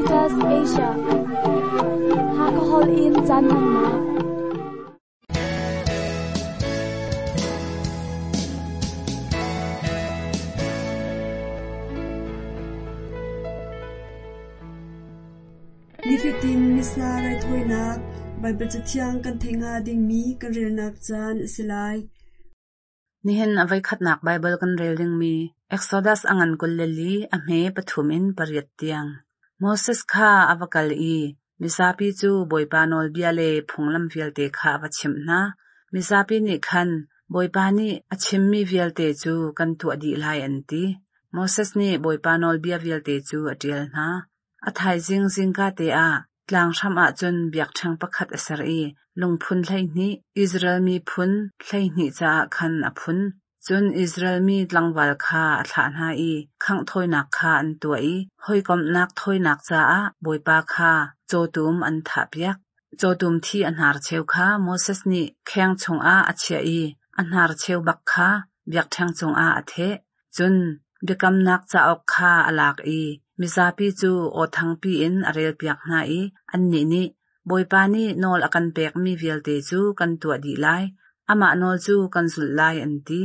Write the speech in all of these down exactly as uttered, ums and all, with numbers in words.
Caritas Asia. Hakahol in caan hmannak. Nifatin Missa raithawinak Baibal Cathiang kan theih hnga dingmi kan relnak caan a si lai. Nihin a voikhatnak Baibal kan rel dingmi Exodus a ngan kul le li a hme pathum in pariat tiang. Moses kha a va kal i mizapi cu Bawipa nawlbia le phunglam vialte kha a va chimh hna. Mizapi nih khan Bawipa nih a chimmi vialte cu kan tuah dih lai an ti. Moses nih Bawipa nawlbia vialte cu a ṭial hna. A thaizing zingka te ah tlang hram ah cun biakṭheng pakhat a ser i lungphun hleihnih Israel miphun hleihnih caah khan a phun. Cun Israel mi tlangval kha a thlah hna i khangh thawinak kha an tuah i hawikomhnak thawinak caah Bawipa kha cawtum an thahpiak. Cawtum thi a hnarcheu kha Moses nih kheng chungah a chiah i a hnarcheu bak kha biakṭheng cungah a theh. Cun biakamnak cauk kha a lak i mizapi cu aw thangpi in a relpiak hna i annih nih Bawipa nih nawl a kan pekmi vialte cu kan tuah dih lai, amah nawl cu kan zulh lai an ti.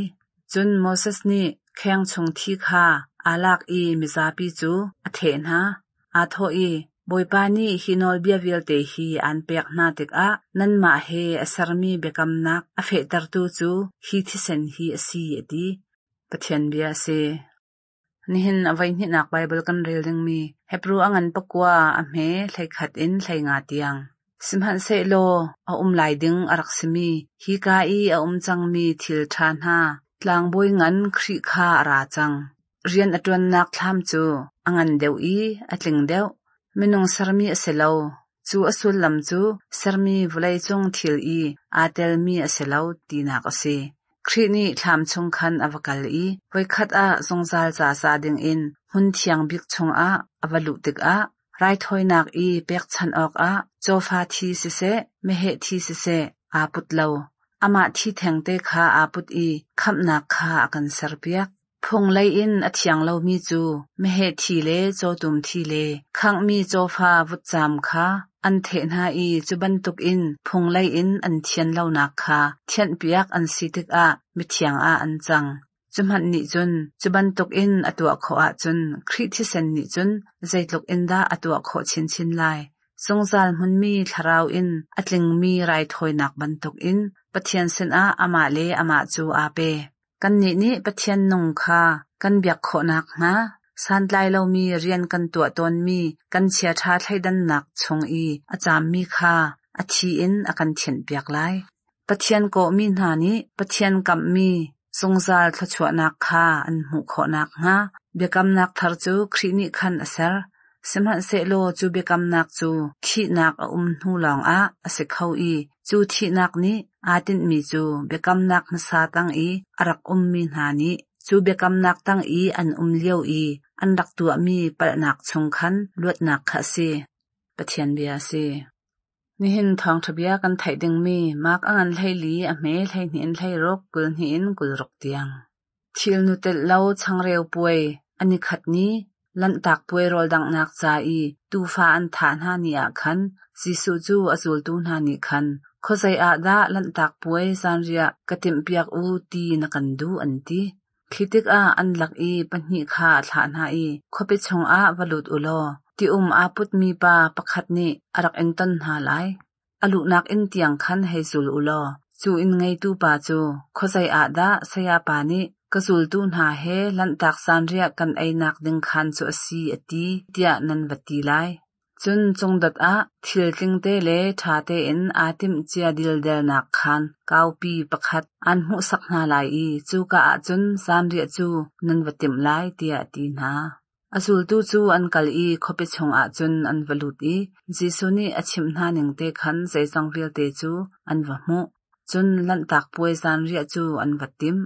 Cun Moses nih kheng chung thi kha aa lak i mizapi cu a theh hna. Aa thawh i, Bawipa nih hi nawlbia vialte hi aan pek hna tikah nanmah he a sermi biakamnak a fehtertu cu hi thisen hi a si, a ti. Pathian bia a si. Nihin a voihnihnak Baibal kan rel dingmi Hebru a ngan pakua a hme hleikhat in hleinga tiang. Sihmanhsehlaw a um lai ding a rak simi hika i a um cangmi thil ṭha hna tlangbawi ngan Khrih kha a ra cang. Rian a ṭuannak thlam cu a ngan deuh i a tling deuh. Minung sermi a si lo. Cu a sullam cu sermi vawleicung thil i aa telmi a si lo tinak a si. Khrih nih thlam chung khan a va kal i voikhat ah zungzal ca ca dingin hmun thiang bik chungah a va luh tikah raithawinak i pekchanh awkah cawfa thi siseh, meheh thi siseh aa put lo. Amah thi thengte kha aa put i khamhnak kha a kan serpiak. Phung lei in a thiang lomi cu meheh thi le cawtum thi le khanghmi cawfa vutcam kha an theh hna i cu bantukin phung lei in an thian lonak kha thianhpiak an si tikah mithiang ah an cang. Cu hmanh nih cun cu bantukin a tuah khawh ahcun Khrih thisen nih cun zeitluk in dah a tuah khawh chinchin lai. Zungzal hmunmi thlarau in a tlingmi raithawinak bantukin Pathian sinah amah le amah cu aa pe. Kannih nih Pathian nung kha kan biak khawhnak hnga santlai lomi rian kan tuah tawnmi kan chiaṭha thleidannak chung i a caammi kha a thi in a kan thianhpiak lai. Pathian kawhmi hna nih Pathian kamhmi zungzal thluachuahnak kha an hmuh khawhnak hnga biakamnak thar cu Khrih nih khan a ser. Sihmanhsehlaw cu biakamnak cu thihnak a um hnu lawngah a si kho i cu thihnak nih aa tinhmi cu biakamnak hmasa tang i a rak ummi hna nih cu biakamnak tang i an um lio i an rak tuahmi palhnak chung khan luatnak kha a si. Pathian bia a si. Nihin thawngṭha bia kan theih dingmi Mark a ngan hleili a hme hleihnih in hleiruk kul hnih in kul ruk tiang. Thil nu telh lo changreu puai an i khat ni Lanhtak puai rawldanghnak ca i tuufa an thah hna ni ah khan Jesuh cu a zultu hna nih khan khuazei ah dah lanhtak puai zanriah ka timhpiak u ti na kan duh an ti. Khi tikah an lak i pahnih kha a thlah hna i khuapi chungah va lut u law ti-um aa putmi pa pakhat nih a rak in ton hna lai. A luhnak inn tiang khan hei zul u law cu inn ngeitu pa cu khuazei ah dah sayapa nih ka zultu hna he lanhtak zanriah kan einak ding khaan cu a si a ti tiah nan va ti lai. Cun cungdot ah thil tlingte le ṭha tein aa timhcia dildelnak khaan kaupi pakhat aan hmuhsak hna lai i cuka ah cun zanriah cu nan va timh lai tiah a ti hna. A zultu cu an kal i khuapi chungah cun an va lut i Jesuh nih a chimh hna ning te khan zeizong vialte cu an va hmuh. Cun lanhtak puai zanriah cu an va timh.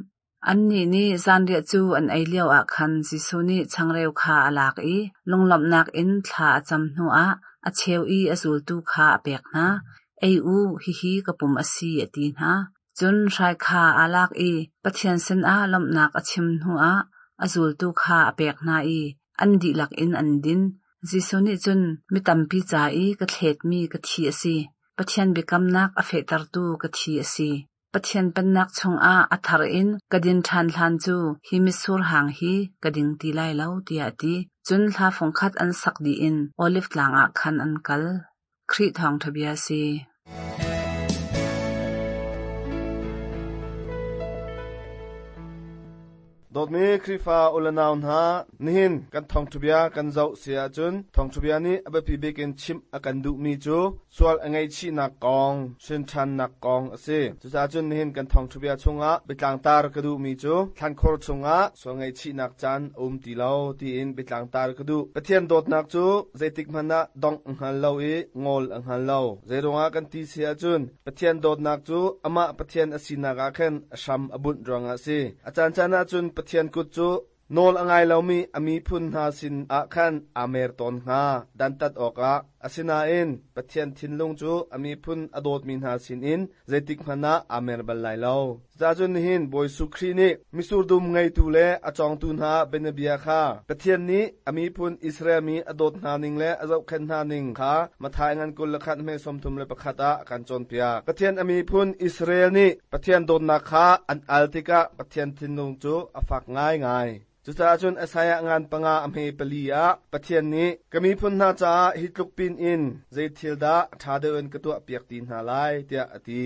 Annih nih zanriah cu an ei lioah khan Jesuh nih changreu kha a lak i lunglawmhnak in thla a cam hnuah a cheu i a zultu kha a pek hna. Ei u, hihi ka pum a si, a ti hna. Cun hrai kha aa lak i Pathian sinah lawmhnak a chim hnuah a zultu kha a pek hna i an dihlak in an din. Jesuh nih cun mi tampi ca i ka thletmi ka thi a si. Pathian biakamnak a fehtertu ka thi a si. Pathian pennak chungah a thar in ka din ṭhan hlan cu hi mitsur hang hi ka ding ti lai lo, tiah a ti. Cun hla fungkhat an sak dih in Oliv tlang ah khan an kal. Khrih thawngṭha bia a si. Dawtmi Khrihfa ulanau hna, nihin kan thawngṭhabia kan zoh si ahcun thawngṭhabia nih a biapi bik in chimh a kan duhmi cu sual a ngaihchihnak kong, hrinṭhannak kong a si. Cucaah cun nihin kan thawngṭhabia chungah biatlangtar ka duhmi cu thlankhur chungah sual ngaihchihnak caan a um ti lo tiin biatlangtar ka duh. Pathian dawtnak cu zeitik hmanh ah dongh a hngal lo i ngol a hngal lo. Zeiruangah kan ti si ahcun Pathian dawtnak cu amah Pathian a sinak ah khan a hram a bunh ruangah a si. A caancaan ahcun Pathian kut cu nawl a ngai lomi a miphun hna sin ah khan aa mer tawn hnga dantat awkah. Asinain Pathian thinlung cu a miphun a dawtmi hna sinin zeitik hmanh ah aa mer bal lai lo. Cucaah nihin Bawi Jesuh Khrih nih mitsur dum ngeitu le a cawngtu hna bianabia kha Pathian nih a miphun Israel mi a dawt hna ning le a zohkhenh hna ning kha Matthai ngan kul le khat hme sawmthum le pakhat ah a kan cawnpiak. Pathian a miphun Israel nih Pathian dawtnak kha an al tikah Pathian thinlung cu a fak ngaingai. Cucaah cun Isaiah ngan panga a hme pali ah Pathian nih ka miphun hna caah hi tluk pin in zei thil dah ṭha deuh in ka tuah piak ti hna lai tiah a ti.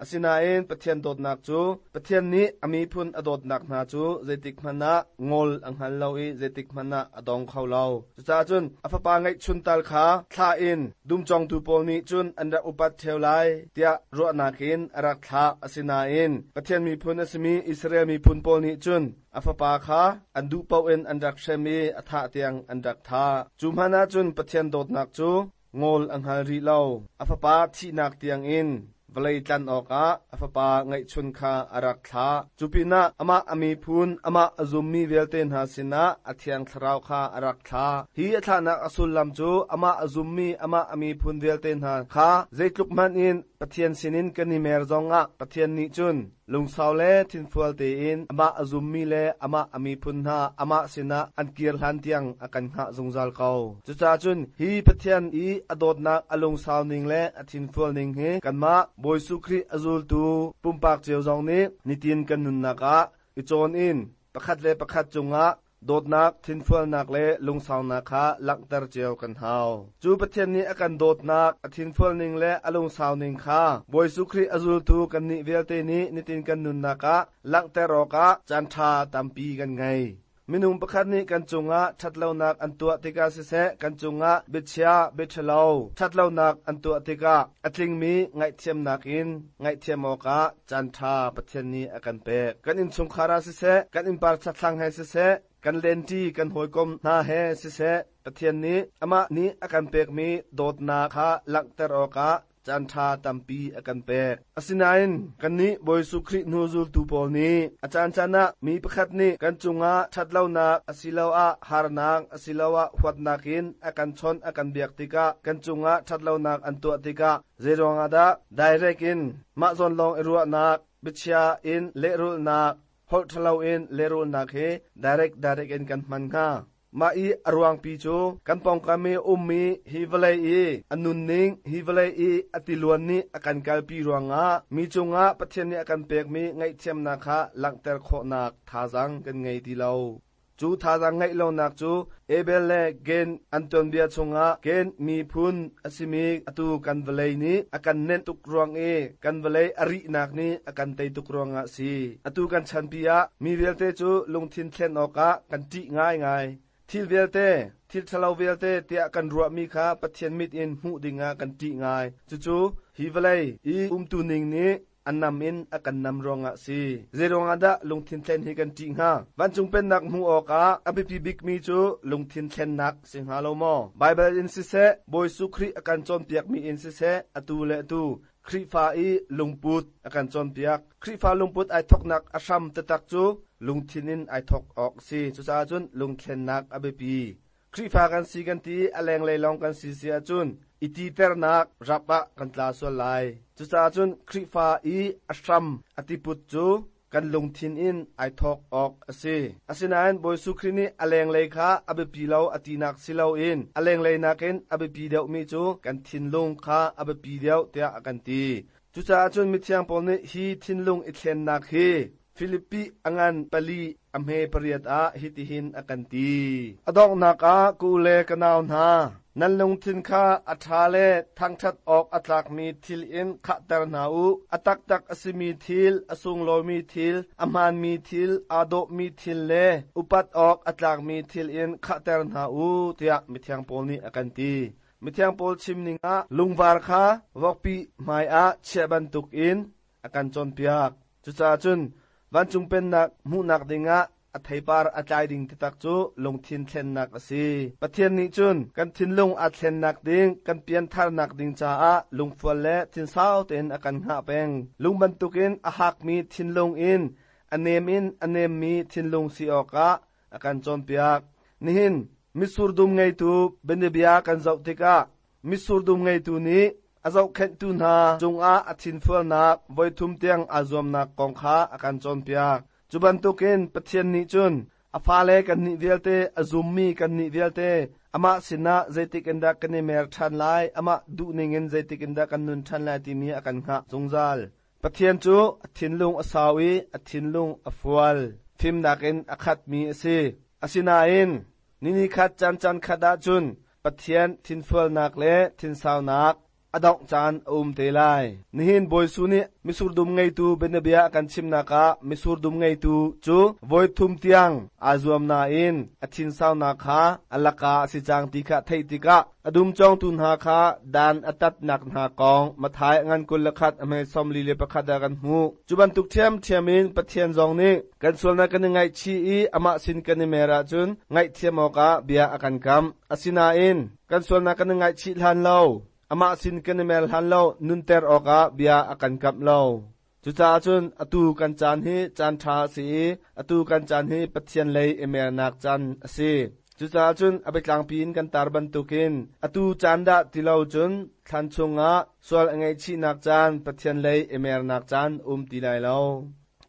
Asinain Pathian dawtnak cu Pathian nih a miphun a dawtnak hna cu zeitik hmanh ah ngol a hngal lo i zeitik hmanh ah a dong kho lo. Cucaah cun a fapa ngeihchun tal kha thlah in dumcawngtu pawl nih cun an rak upat ṭheo lai tiah ruahnak in a rak thlah. Asinain Pathian miphun a simi Israel miphun pawl nih cun a fapa kha an duh paoh in an rak hrem i a thah tiang an rak thah. Cu hmanh ah cun Pathian dawtnak cu ngol a hngal rih lo. A fapa thihnak tiangin vawlei tlan awkah a fapa ngeihchun kha a rak thlah. Cu pinah amah a miphun, amah a zummi vialte hna sinah a thiang thlarau kha a rak thlah. Hi a thlahnak a sullam cu amah a zummi, amah a miphun vialte hna kha zeitluk hmanh in Pathian sinin kan i mer zongah Pathian nih cun lungsau le thinfual tein amah a zummi le amah a miphun hna amah sinah an kir hlan tiang a kan hngah zungzal ko. Cucaah cun hi Pathian i a dawtnak a lungsau ning le a thinfual ning hi kanmah Bawi Jesuh Khrih a zultu pumpak cio zong nih nitin kan nunnak ah i cawn in pakhat le pakhat cungah dawtnak, thinfualnak le lungsaunak kha langhter cio kan hau. Cu Pathian nih a kan dawtnak, a thinfual ning le a lungsau ning kha Bawi Jesuh Khrih a zultu kannih vialte nih nitin kan nunnak ah langhter awkah caan ṭha tampi kan ngei. Minung pakhat nih kan cungah ṭhatlonak an tuah tikah siseh, kan cungah biachia, biaṭhalo, ṭhatlonak an tuah tikah a tlingmi ngaihthiamnak in ngaihthiam awkah caan ṭha Pathian nih a kan pek. Kan innchungkhar ah siseh, kan innpar chatthlang he siseh, kan lenti kan hawikom hna he siseh, Pathian nih amah nih a kan pekmi dawtnak kha langhter awkah caan ṭha tampi a kan pek. Asinain kannih Bawi Jesuh Khrih hnu zultu pawl nih a caancaan ah mi pakhat nih kan cungah ṭhatlonak asiloah harnak asiloah huatnak in a kan chawnh a kan biak tikah kan cungah ṭhatlonak an tuah tikah zeiruangah dah direct in mah zawn lawng i ruahnak, biachia in lehrulhnak, holh ṭhalo in lehrulhnak hi direct direct in kan hman hnga? Mah i a ruangpi cu kan pawngkam i ummi hi vawlei i a nunning, hi vawlei i a tiluan nih a kan kalpi ruangah mi cungah Pathian nih a kan pekmi ngaihthiamnak kha langhter khawhnak thazaang kan ngei ti lo. Cu thazaang ngeih lonak cu Abel le Cain an tuanbia chungah Cain miphun a simi atu kan vawlei nih a kan nenh tuk ruang i kan vawlei a rihnak nih a kan tei tuk ruangah a si. Atu kan chanpi ah mi vialte cu lungthin thlen awkah kan ṭih ngaingai. Thil vialte, thil ṭhalo vialte tiah kan ruahmi kha Pathian mit in hmuh dingah kan ṭih ngai. Cucu hi vawlei i umtu ning nih a nam in a kan nam ruangah si. Zeiruangah dah lungthin thlen hi kan ṭih hnga? Vancung pennak hmuh awkah a biapi bikmi cu lungthin thlennak si hnga lo maw? Baibal in siseh, Bawi Jesuh Khrih a kan cawnpiakmi in siseh, atu le atu Khrihfa i lungput a kan cawnpiak. Khrihfa lungput ai thawknak a hram taktak cu lungthin in ai thawk awk a si. Cucaah cun lungthlennak a biapi. Khrihfa kan si kan ti a lenglei lawng kan si si ahcun i titernak rap ah kan tla sual lai. Cucaah cun Khrihfa i a hram a tiput cu Kan lungthin in ai thawk awk a si. Asinain Bawi Jesuh Khrih nih a lenglei kha a biapi lo a tinak si loin a lenglei nakin a biapi deuhmi cu kan thinlung kha a biapi deuh tiah a kan ti. Cucaah cun mithiang Paul nih hi thinlung i thlennak hi Filipi a ngan pali a hme pariat ah hitihin a kan ti. A donghnak ah ka u le ka nau hna, nan lungthin kha a ṭha le thangṭhat awk a tlakmi thil in khahter hna u. A taktak a simi thil, a sunglawimi thil, a hmaanmi thil, aa dawhmi thil le upat awk a tlakmi thil in khahter hna u, tiah mithiang Paul nih a kan ti. Mithiang Paul chimning ah lungvar kha vokpi hmaiah chiah bantukin a kan cawnpiak. Cucaah cun vancung pennak hmuhnak dingah a theipar a tlai ding taktak cu lungthin thlennak a si. Pathian nih cun kan thinlung a thlennak ding, kan piantharnak ding caah lungfual le thinsau tein a kan hngah peng. Lung bantukin a hakmi thinlung in a nem in a nemmi thinlung si awkah a kan cawnpiak. Nihin mitsur dum ngeitu bianabia kan zoh tikah mitsur dum ngeitu nih a zohkhenhtu hna cungah a thinfualnak voithum tiang aa zuamnak kong kha a kan cawnpiak. Cu bantukin Pathian nih cun a fale kannih vialte, a zummi kannih vialte, amah sinah zeitik in dah kan i mer ṭhan lai, amah duhning in zeitik in dah kan nun ṭhan lai timi a kan hngah zungzal. Pathian cu a thinlung a sau i a thinlung a fual, fimnak in a khatmi a si. Asinain nini khat caan caan khat ahcun Pathian thinfualnak le thinsaunak a dongh caan a um te lai. Nihin Bawi Jesuh nih mitsur dum ngeitu bianabia a kan chimnak ah mitsur dum ngeitu cu voithum tiang aa zuam nain a thinsaunak kha a laka a si cang ti kha theih tikah a dum cawngtu hna kha dan a tatnak hna kong Matthai ngan kul le khat a hme sawmli le pakhat ah kan hmuh. Cu bantuk ṭhiamṭhiam in Pathian zong nih kan sualnak kan i ngaihchih i amah sin kan i mer ahcun ngaihthiam awkah bia a kan kam. Asinain kan sualnak kan i ngaihchih hlan lo, amah sin kan i mer hlan lo, nunter awkah bia a kan kamh lo. Cucaah cun atu kan caan hi caan ṭha a si i atu kan caan hi Pathian lei i mernak caan a si. Cucaah cun a biatlangpi in kan tar bantukin atu caan dah ti lo cun thlan chungah sual a ngaihchihnak caan, Pathian lei i mernak caan um ti lai lo.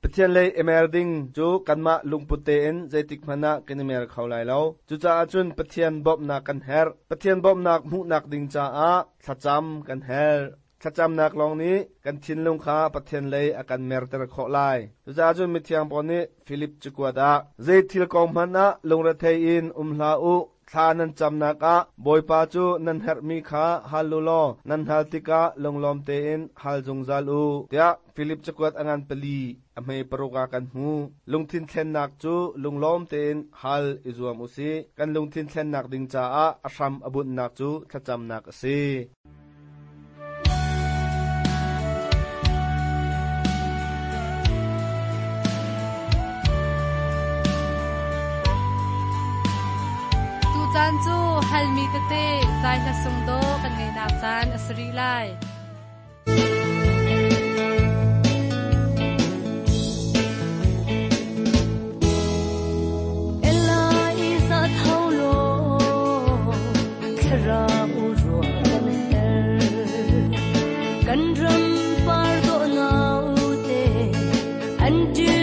Pathian lei i mer ding cu kanmah lungput tein zeitik hmanh ah kan i mer kho lai lo. Cucaah cun Pathian bawmhnak kan herh. Pathian bawmhnak hmuhnak ding caah thlacam kan herh. Thlacamnak lawng nih kan thinlung kha Pathian lei a kan merter khawh lai. Cucaah cun mithiang Paul nih Filip cakuat ah zei thil kong hmanh ah lungrethei in um hlah u, thla nan camnak ah Bawipa cu nan herhmi kha hal u law nan hal tikah lunglawm tein hal zungzal u, tiah Filip cakuat a ngan pali a hme paruk ah kan hmu. Lungthin thlennak cu lunglawm tein hal i zuam u sih. Kan lungthin thlennak ding caah a hram a bunhnak cu thlacamnak a si. Caan cu halmi tete zai hla sung do kan ngeinak caan a si rih lai. Eliza thaulo thlara uro kan her kan ram par do nau te an di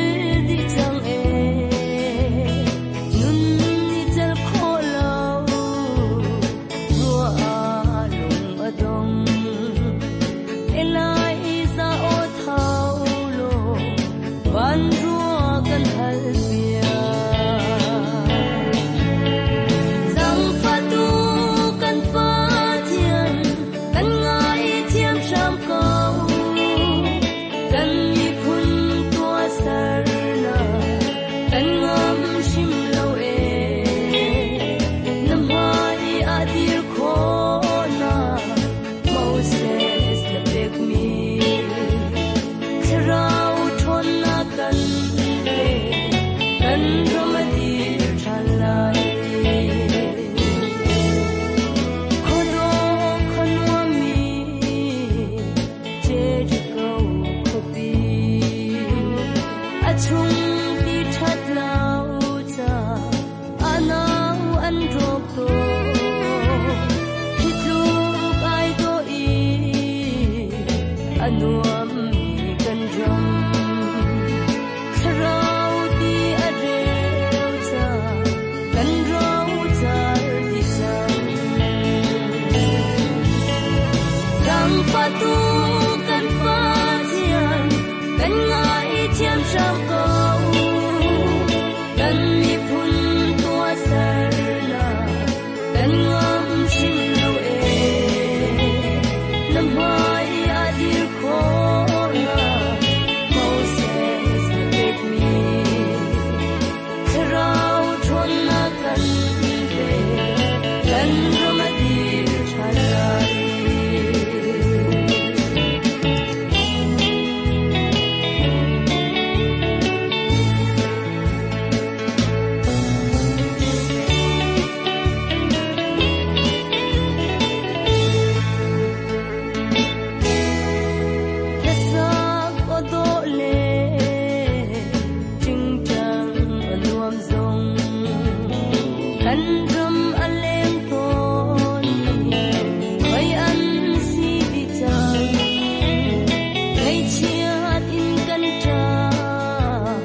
di chang e nun ni chal kho lo ro a lung adong Eliza o thaulo van ro kan hal bia Zang fatu kan fa thian kan ngai thiam sham kau kan mi phun tua sar na kan ngam shim lo e nam hai a dir kho na Moses na pek mi Thlarau thon na kan pe kan ramadi thalai Khodo khonwa mi Jericho khopi Achung ti that lau cha anau an rok to Hitluk ai do i anuam mi kan ram hram ko kan miphun tua sernak kan ngam hrim lo e na hmai a dir khawhnak Moses na pekmi thlarau ṭhawnnak kan pe kan ram a dir ṭhan lai. Hlasak aw dawh le ṭingṭang a nuam zong kan ram a leng tawn i mei an si dih cang. Ngaihchiat in kan ṭah,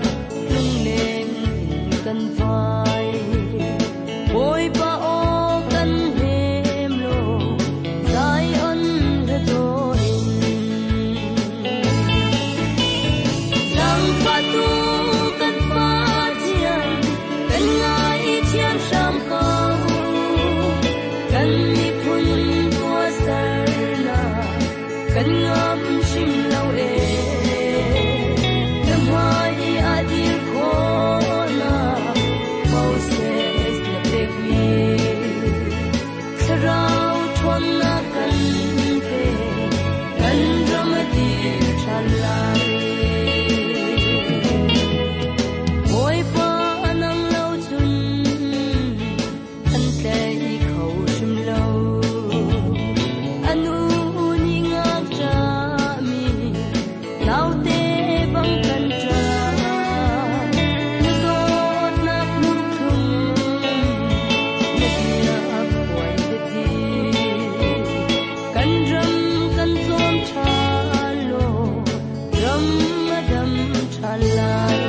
lungleng in kan vai. Bawipa aw kan hnem law, Zion hla dawh in. Zaangfahtu kan Pathian, kan ngaithiam hram ko. Kan miphun tuahsernak, kan ngam hrim lo e. Na hmai a dir khawhnak, Moses na pekmi. Thlarau ṭhawnnak kan pe, kan ram a dir ṭhan lai. Bawipa nang lo cun an tlai kho hrim lo. Anu nih ngakṭahmi naute bang kan ṭah. Na dawtnak lungthlum, na bia phuan biathi. Kan ram kan tlawm ṭhan law, ram a dam ṭhan lai.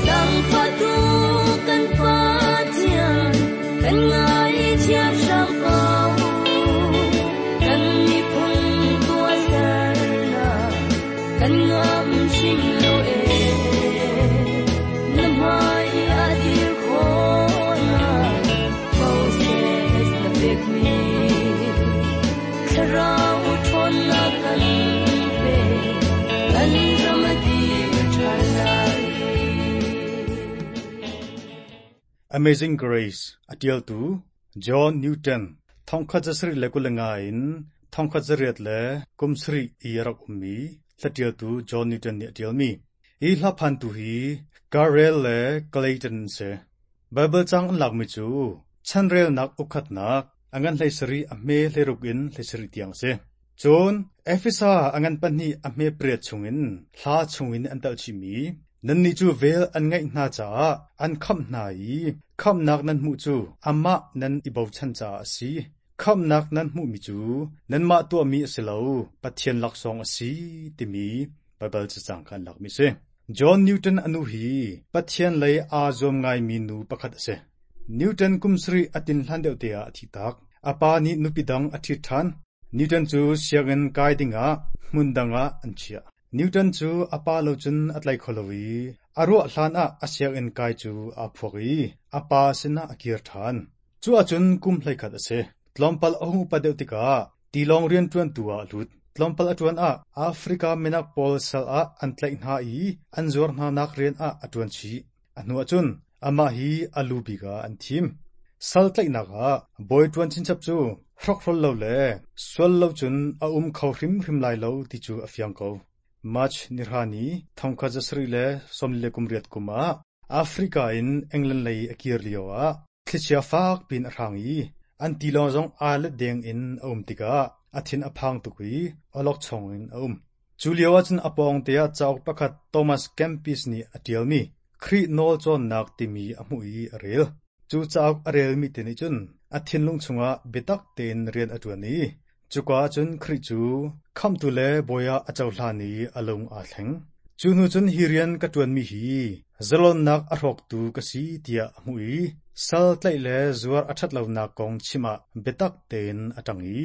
Zaangfahtu kan Pathian, kan ngaithiam hram ko. Kan miphun tuahsernak, kan ngam hrim lo e. Na hmai a dir khawhnak, Moses na pekmi. Thlarau ṭhawnnak kan pe, kan ram a dir ṭhan lai. Amazing Grace a ṭialtu John Newton thongkhat zasarih le kul le nga in thongkhat zariat le kum sarih i a rak ummi hlaṭialtu John Newton nih a ṭialmi. Hi hlaphantu hi Garrel le Clayton an si. Bible cang an lakmi cu chanrelnak ukhatnak a ngan hlei sarih a hme hleiruk in hlei sarih tiang a si. Cun Efesa a ngan pahnih a hme pariat chungin hla chungin an telh chihmi nannih cu vel an ngeih hna caah an khamh hna i khamhnak nan hmuh cu amah nan i bochan caah a si. Khamhnak nan hmuhmi cu nanmah tuahmi a si lo, Pathian laksawng a si timi Baibal cacang kha an lakmi a si. John Newton a nu hi Pathian lei aa zuam ngaimi nu pakhat a si. Newton kum sarih a tin hlan deuh te ah a thi tak. A pa nih nupi dang a ṭhit ṭhan. Newton cu sianginn kai dingah hmun dang ah an chiah. Newton cu a pa lo cun a tlai kho lo i a ruah hlan ah a sianginn kai cu aa phuak i a pa sinah a kir ṭhan. Cu ahcun kum hleikhat a si. Tlawmpal a hung upat deuh tikah tilawng rianṭuantu ah a lut. Tlawmpal a ṭuan ah Africa minak pawl sal ah an tlaih hna i an zuar hnanak rian ah a ṭuan chih. A hnu ahcun amah hi a lu bik ah an thim. Sal tlaihnak ah bawi ṭuan chinchap cu hrokhrol lo le sual lo cun a um kho hrimhrim lai lo ti cu a fiang ko. March nihra ni thongkhat zasarih le sawmli le kum riat kum ah Africa in England lei a kir lio ah thlichia fak pin a hrang i an tilawng zong aa let deng in a um tikah a thin a phang tuk i awlokchong in a um. Cu lio ahcun a pawng te ah cauk pakhat Thomas Kempis nih a ṭialmi Khrih nawl cawnnak timi a hmuh i a rel. Cu cauk a relmi te nih cun a thinlung chungah biatak tein rian a ṭuan i cuka ahcun Khrih cu khamhtu le bawi ah a cohlan i a lung aa thleng. Cu hnu cun hi rian ka ṭuanmi hi zalonnak a hrawktu ka si tiah a hmuh i sal tlaih le zuar a ṭhat lonak kong chim ah biatak tein a ṭang i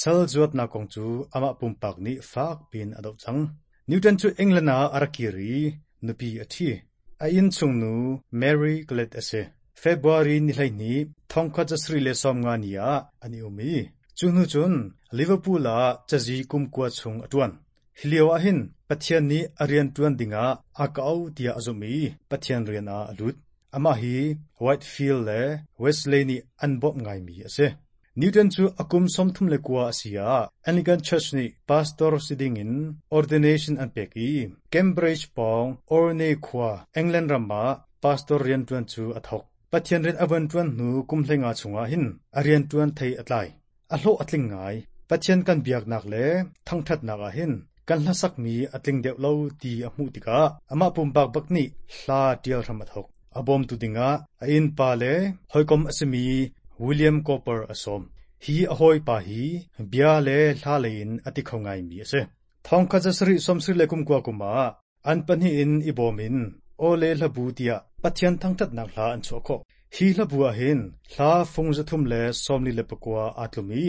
sal zuatnak kong cu amah pumpak nih fak piin a doh cang. Newton cu England ah a rak kir i nupi a ṭhi. A innchungnu Mary Glad a si. February ni hleihnih thongkhat zasarih le sawmnga ni ah an i um i cu hnu cun Liverpool ah cazi kum kua chung a ṭuan. Hi lio ah hin Pathian nih a rian ṭuan dingah a ka auh tiah a zumh i Pathian rian ah a lut. Amah hi Whitefield le Wesley nih an bawmh ngaimi a si. Newton cu a kum sawmthum le kua a si ah Anglican Church nih pastor si dingin ordination an pek i Cambridge pawng Orne khua England ram ah pastor rianṭuan cu a thawk. Pathian rian a vun ṭuan hnu kum hleinga chungah hin a rianṭuan thei a tlai. A hlawh a tling ngai. Pathian kan biaknak le thangṭhatnak ah hin kan hlasakmi a tling deuh lo ti a hmuh tikah amah pumpak bak nih hla ṭial hram a thawk. A bawmtu dingah a innpa le hawikom a simi William Cowper a sawm. Hi a hawipa hi bia le hla lei in a ti kho ngaimi a si. Thongkhat zasarih sawmsarih le kumkua kum ah an pahnih in i bawm in aw le hlabu tiah Pathian thangṭhatnak hla an chuah khawh. Hi hlabu ah hin hla fung zathum le sawmli le pakua aa tlum i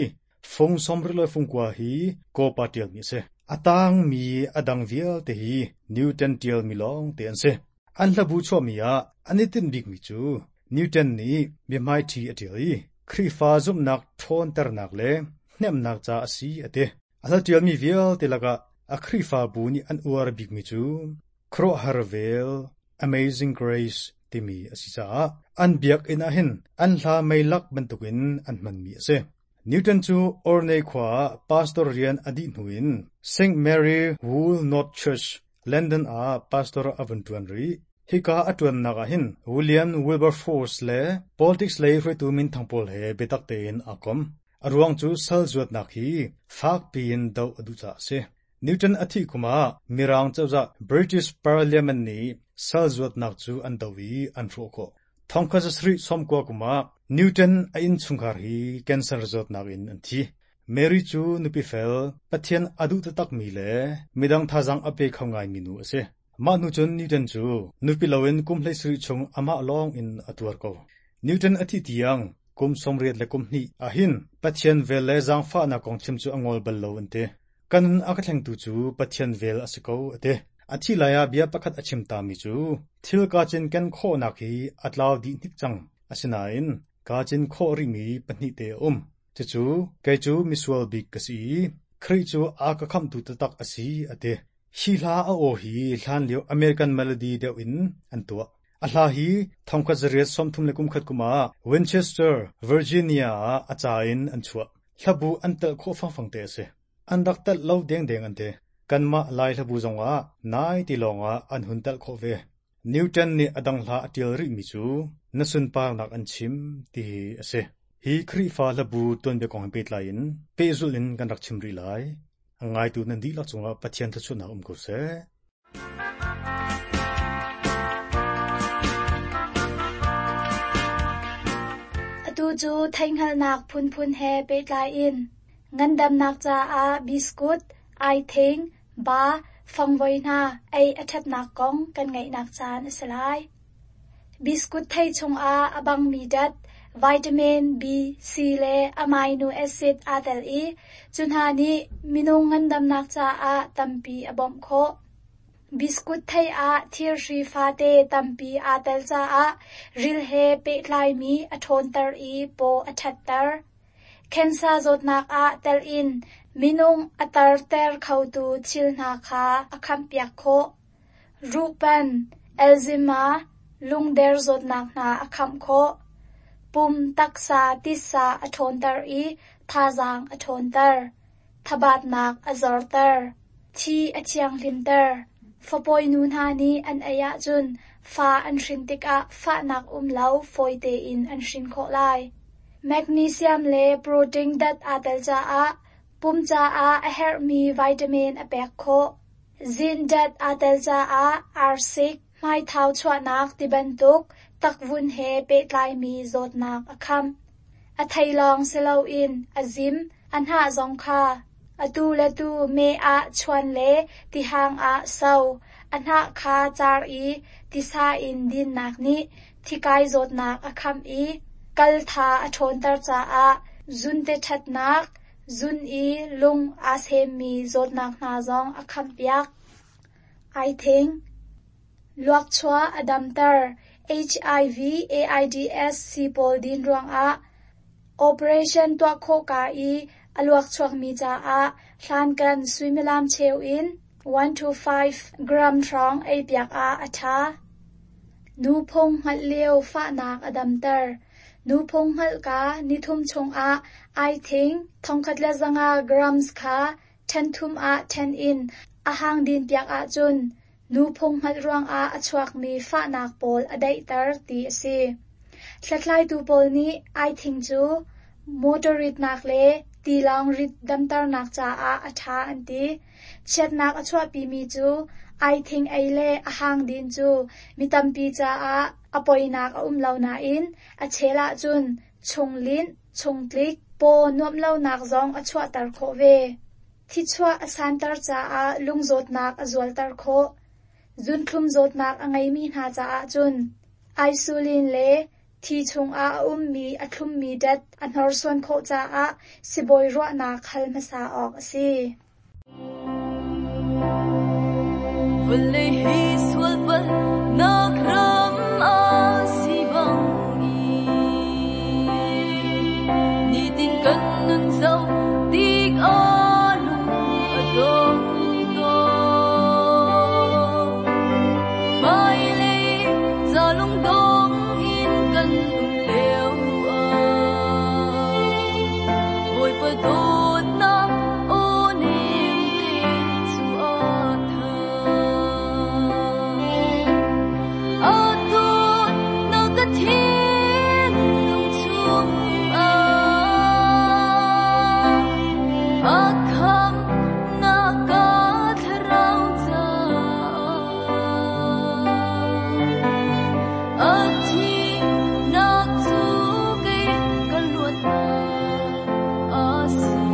fung sawmruk le fungkua hi Cowper ṭialmi a si. A tangmi a dang vialte hi Newton ṭialmi lawngte an si. An hlabu chuahmi ah an i tinh bikmi cu Newton nih biahmaiṭhi a ṭial i Khrihfa zumhnak ṭhawnternak le hnemhnak ca a si a ti. A hla ṭialmi vialte lakah a Khrihfabu nih an uar bikmi cu Khuaruahhar Vel, Amazing Grace timi a si caah an biakinn ah hin an hla meilak bantukin an hmanmi a si. Newton cu Orne khua ah pastor rian a dih hnu in Saint Mary Woolnoth Church, London ah pastor a vun ṭuan rih. Hika a ṭuannak ah hin William Wilberforce le politics lei hruaitu minthang pawl he biatak tein aa kom. A ruang cu sal zuatnak hi fak piin doh a duh caah a si. Newton a thih kum ah Mirang cozah British Parliament nih sal zuatnak cu an doh i an hrawh khawh. Thongkhat zasarih sawmkua kum ah Newton a innchungkhar hi cancer zawtnak in an thi. Mary cu nupi fel, Pathian a duh taktakmi le midang thazaang a pe kho ngaimi nu a si. Mah hnu cun Newton cu nupi loin kum hleisarih chung amah lawng in a tuar ko. Newton a thih tiang kum sawmriat le kum hnih ah hin Pathian vel le zaangfahnak kong chim cu a ngol bal lo an ti. Ka nun a ka thlengtu cu Pathian vel a si ko a ti. A thih lai ah bia pakhat a chim tami cu thil kaa cinken khawhnak hi a tlau dih hnik cang. Asinain kaa cin khawh rihmi pahnih te a um. Cucu kei cu misual bik ka si i Khrih cu a ka khamhtu taktak a si a ti. Hi hla a aw hi hlanlio American melody deuh in an tuah. A hla hi thongkhat zariat sawmthum le kumkhat kum ah Winchester, Virginia ah a ca in an chuah. Hlabu an telh khawh fangfang te a si. An rak telh lo dengdeng an ti. Kanmah Lai hlabu zongah nai ti lawngah an hun telh khawh ve. Newton nih a dang hla a ṭial rihmi cu na sunparnak an chim ti hi a si. Hi Khrihfa hlabu tuanbia kong he pehtlai in pehzulh in kan rak chim rih lai. A ngaitu nan dihlak cungah Pathian thluachuahnak um ko seh. Atu cu theihhngalhnak phunphun he pehtlai in ngandamnak caah biskut, aithing, ba, fangvoi hna ei a ṭhatnak kong kan ngaihnak caan a si lai. Biskut thei chungah a bangmi dat, vitamin B, C le amino acid aa tel i cu hna nih minung ngandamnak caah tampi a bawmh khawh. Biskut thei ah thirhri fate tampi aa tel caah ril he pehtlaimi a ṭhawnter i paw a ṭhatter. Khensa zawtnak ah tel in minung a tarter khotu thil hna kha a khampiak khawh. Ruhpan, Alzheimer, lungder zawtnak hna a khamh khawh. Pum taksa titsa a ṭhawnter i thazaang a ṭhawnter. Thabatnak a zorter. Thi a thianghlimter. Fapawi nu hna nih an ei ahcun fa an hrin tikah fahnak um lo fawi tein an hrin khawh lai. Magnesium le protein dat aa tel caah pum caah a herhmi vitamin a pek khawh. Zinc dat aa tel caah arsik, hmaithau chuahnak tibantuk takvun he pehtlaimi zawtnak a khamh. A thei lawng si loin a zim, a hnah zong kha atu le tu meh ah chuan le tihang ah so, a hnah kha car i tisa in dinnak nih thikai zawtnak a khamh i kal tha a ṭhawnter caah zunte ṭhatnak, zun i lung aa semmi zawtnak hna zong a khamhpiak. Aithing. Luakchuah a damter. HIV AIDS sii pawl din ruangah operation tuah khawh ka i a luakchuakmi caah hlankan suimilam cheu in one to five gram hrawng ei piak ah a ṭha. Nuphung hngalh lio fahnak a damter. Nuphung hngalh ka nithum chungah aithing thongkhat le zanga grams kha ṭhen thum ah ṭhen in a hang din piak ahcun nuphung hngalh ruangah a chuakmi fahnak pawl a daihter ti a si. Hlathlaitu pawl nih aithing cu motor ritnak le tilawng rit damternak caah a ṭha an ti. Chiatnak a chuahpimi cu aithing ei le a hang din cu mi tampi caah a poinak a um lo nain a chel ahcun chunglinh, chungtlik, paw nuamh lonak zong a chuahter khawh ve. Thichuah a santer caah lungzawtnak a zualter khawh. Zunthlum zawtnak a ngeimi hna caah cun insulin le thi chungah a ummi a thlummi dat a hnorsuan khawh caah sibawi ruahnak hal hmasa awk a si. Vawlei hi sual palhnak ram a si bangin, nitin kan nun zoh tik ah lung a dong tawn. Hmailei ca lungdong in kan um lio ah, Bawipa dawtnak aw nem te cu a tha. A dawtnak ka thinlung chungah, a khamhnak ka thlarau caah, a thihnak cu kei ka luatnak a si.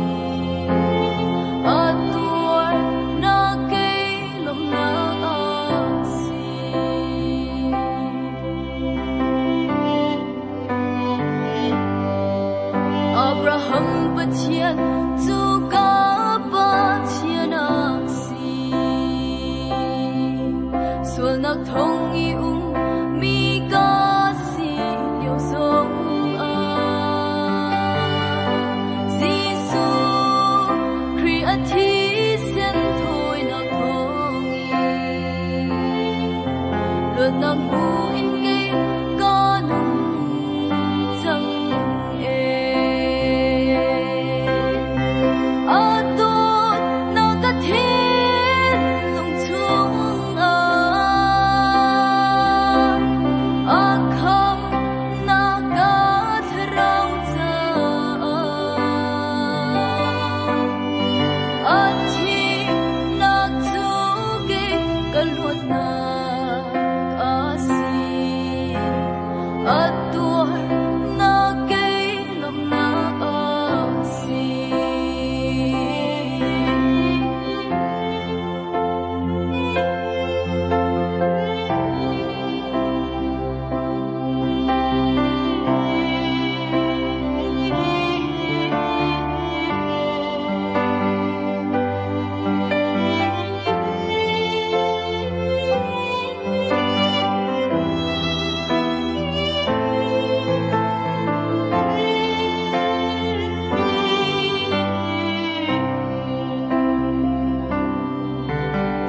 A tuarnak kei lawmhnak a si. Abraham Pathian cu ka Pathian a si. Sualnak thong i um mi ka si lio zong ah, Jesuh Khrih a thisen thawinak thawngin luatnak hmu in kei ka nung cang e. A dawtnak ka thinlung chungah, a khamhnak ka thlarau caah, a thihnak cu kei ka luatnak a si. A tuarnak kei lawmhnak a si.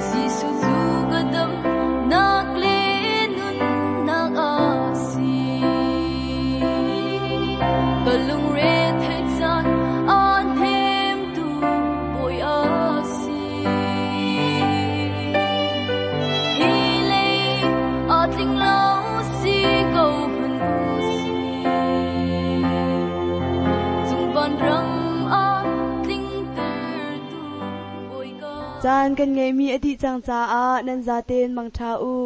Jesuh cu ka damnak le nunnak a si. Ka lungre theih caan a hnemtu Bawi a si. Hi lei a tling lo si ko hmanh u si. Cung van ram a tlingtertu Bawi ka Caan kan ngeihmi a dih cang caah nan zaten mangṭha u.